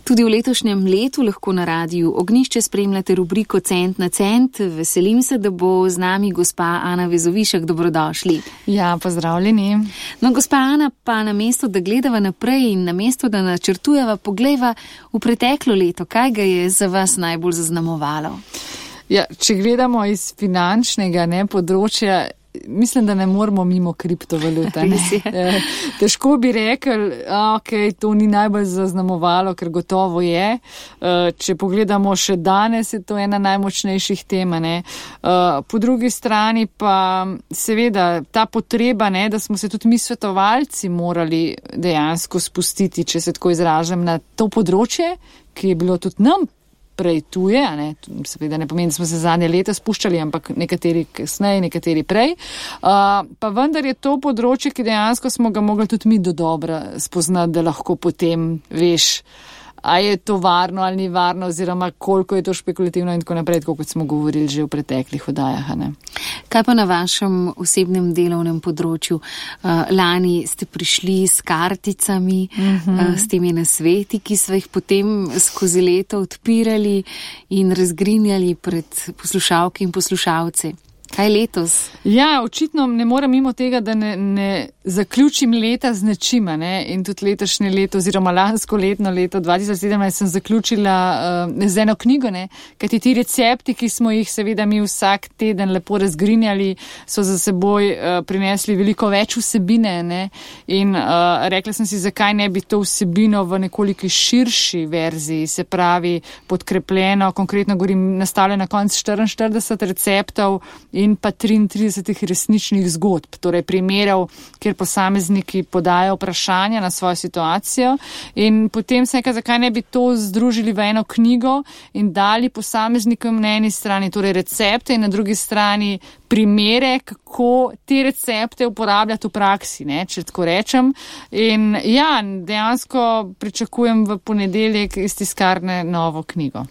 Tudi v letošnjem letu lahko na Radiu Ognjišče spremljate rubriko Cent na cent. Veselim se, da bo z nami gospa Ana Vezovišek. Dobrodošli. Ja, pozdravljeni. No, gospa Ana, pa namesto, da gledava naprej in namesto, da načrtujeva, poglejva v preteklo leto. Kaj ga je za vas najbolj zaznamovalo? Ja, če gledamo iz finančnega področja, mislim, da ne moramo mimo kriptovalute. Težko bi rekli, to ni najbolj zaznamovalo, ker gotovo je. Če pogledamo še danes, je to ena najmočnejših tem. Po drugi strani pa seveda ta potreba, da smo se tudi mi svetovalci morali dejansko spustiti, če se tako izražam, na to področje, ki je bilo tudi nam prej tuje, seveda ne pomeni, da smo se zadnje leta spuščali, ampak nekateri kasneje, nekateri prej. Pa vendar je to področje, ki dejansko smo ga mogli tudi mi dodobra spoznati, da lahko potem veš, a je to varno ali ni varno, oziroma koliko je to špekulativno in tako naprej, kot smo govorili že v preteklih oddajah. Kaj pa na vašem osebnem delovnem področju? Lani ste prišli s karticami, s temi nasveti, ki so jih potem skozi leto odpirali in razgrinjali pred poslušalke in poslušalce. Kaj letos? Ja, očitno ne morem mimo tega, da ne zaključim leta z nečima. In tudi letošnje leto oziroma lansko leto 2017 sem zaključila z eno knjigo, kajti ti recepti, ki smo jih seveda mi vsak teden lepo razgrinjali, so za seboj prinesli veliko več vsebine. In rekla sem si, zakaj ne bi to vsebino v nekoliko širši verziji, se pravi podkrepljeno, konkretno govorim, nastavljeno na konc 44 receptov in pa 33 resničnih zgodb, torej primerov, kjer posamezniki podajo vprašanja na svojo situacijo in potem se nekaj, zakaj ne bi to združili v eno knjigo in dali posameznikom na eni strani torej recepte in na drugi strani primere, kako te recepte uporabljati v praksi, če tako rečem. In ja, dejansko pričakujem v ponedeljek iz tiskarne novo knjigo.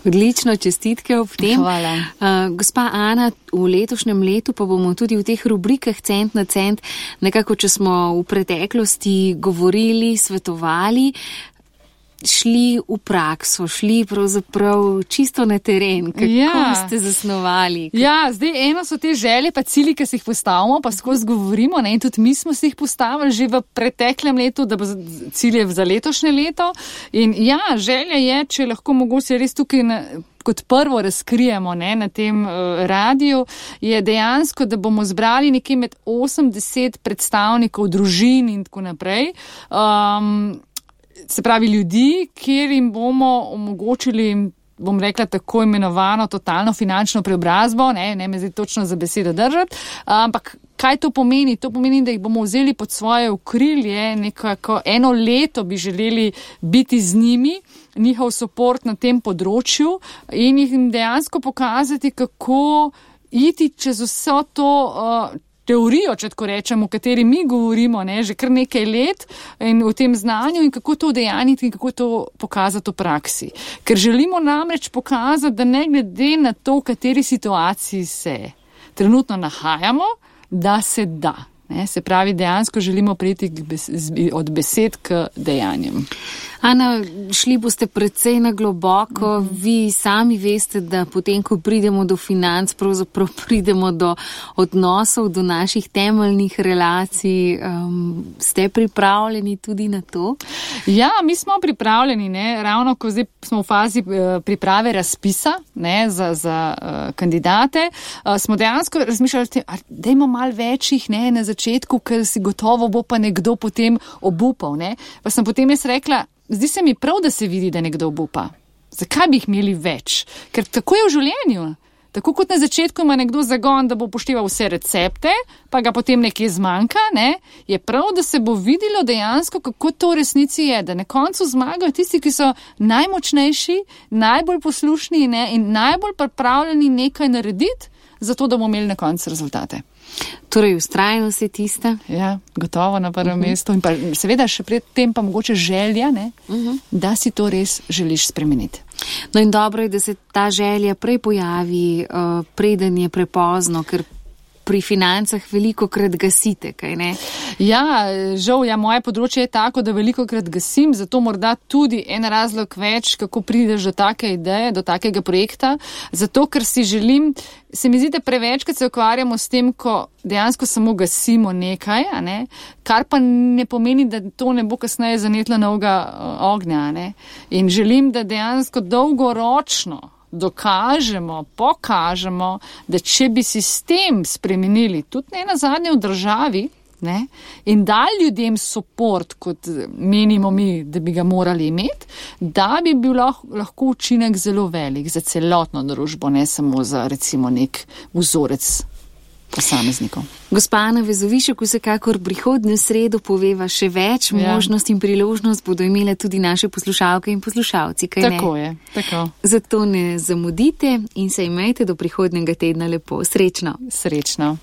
Odlično, čestitke ob tem. Hvala. Gospa Ana, v letošnjem letu pa bomo tudi v teh rubrikah Cent na cent, nekako, če smo v preteklosti govorili, svetovali, šli v prakso, šli pravzaprav čisto na teren. Kako ste zasnovali? Ja, zdaj eno so te želje pa cilji, ki si jih postavimo, pa skozi govorimo, in tudi mi smo si jih postavili že v preteklem letu, da bo cilje za letošnje leto. In ja, želja je, če lahko mogoče res tukaj kot prvo razkrijemo na tem radiju, je dejansko, da bomo zbrali nekje med 80 predstavnikov družin in tako naprej. Se pravi ljudi, kjer jim bomo omogočili, bom rekla, tako imenovano totalno finančno preobrazbo, ne me zdaj točno za besedo držati, ampak kaj to pomeni? To pomeni, da jih bomo vzeli pod svoje okrilje, nekako eno leto bi želeli biti z njimi, njihov support na tem področju in jim dejansko pokazati, kako iti čez vso to teorijo, če tako rečem, o kateri mi govorimo, že kar nekaj let in v tem znanju in kako to udejaniti in kako to pokazati v praksi. Ker želimo namreč pokazati, da ne glede na to, v kateri situaciji se trenutno nahajamo, da se da. Se pravi, dejansko želimo priti od besed k dejanjem. Ana, šli boste precej na globoko. Vi sami veste, da potem, ko pridemo do financ, pravzaprav pridemo do odnosov, do naših temeljnih relacij. Ste pripravljeni tudi na to? Ja, mi smo pripravljeni, ravno ko zdaj smo v fazi priprave razpisa za kandidate. Smo dejansko razmišljali, dajmo malo večjih na začetku, ker si gotovo bo pa nekdo potem obupal. Pa sem potem jaz rekla, zdi se mi prav, da se vidi, da nekdo obupa. Zakaj bi jih imeli več? Ker tako je v življenju. Tako kot na začetku ima nekdo zagon, da bo upošteval vse recepte, pa ga potem nekje zmanjka, je prav, da se bo videlo dejansko, kako to v resnici je, da na koncu zmagajo tisti, ki so najmočnejši, najbolj poslušni in najbolj pripravljeni nekaj narediti, zato da bomo imeli na koncu rezultate. Torej, vztrajnost je tista? Ja, gotovo na prvem mestu. In pa seveda še pred tem pa mogoče želja, da si to res želiš spremeniti. No in dobro je, da se ta želja prej pojavi, preden je prepozno, ker pri financah veliko krat gasite, kaj ne? Ja, žal, moje področje je tako, da veliko krat gasim, zato morda tudi en razlog več, kako prideš do take ideje, do takega projekta, zato ker si želim, se mi zdi, da prevečkrat se ukvarjamo s tem, ko dejansko samo gasimo nekaj, a ne? Kar pa ne pomeni, da to ne bo kasneje zanetlo novega ognja. Ne? In želim, da dejansko dolgoročno dokažemo, pokažemo, da če bi sistem spremenili, tudi ne nazadnje v državi, ne, in dali ljudem support, kot menimo mi, da bi ga morali imeti, da bi bil lahko učinek zelo velik za celotno družbo, ne samo za recimo nek vzorec posameznikov. Gospa Ana Vezovišek, vsekakor prihodnjo sredo poveva še več, možnost in priložnost bodo imele tudi naše poslušalke in poslušalci, kaj ne? Tako je, tako. Zato ne zamudite in se imejte do prihodnjega tedna lepo. Srečno. Srečno.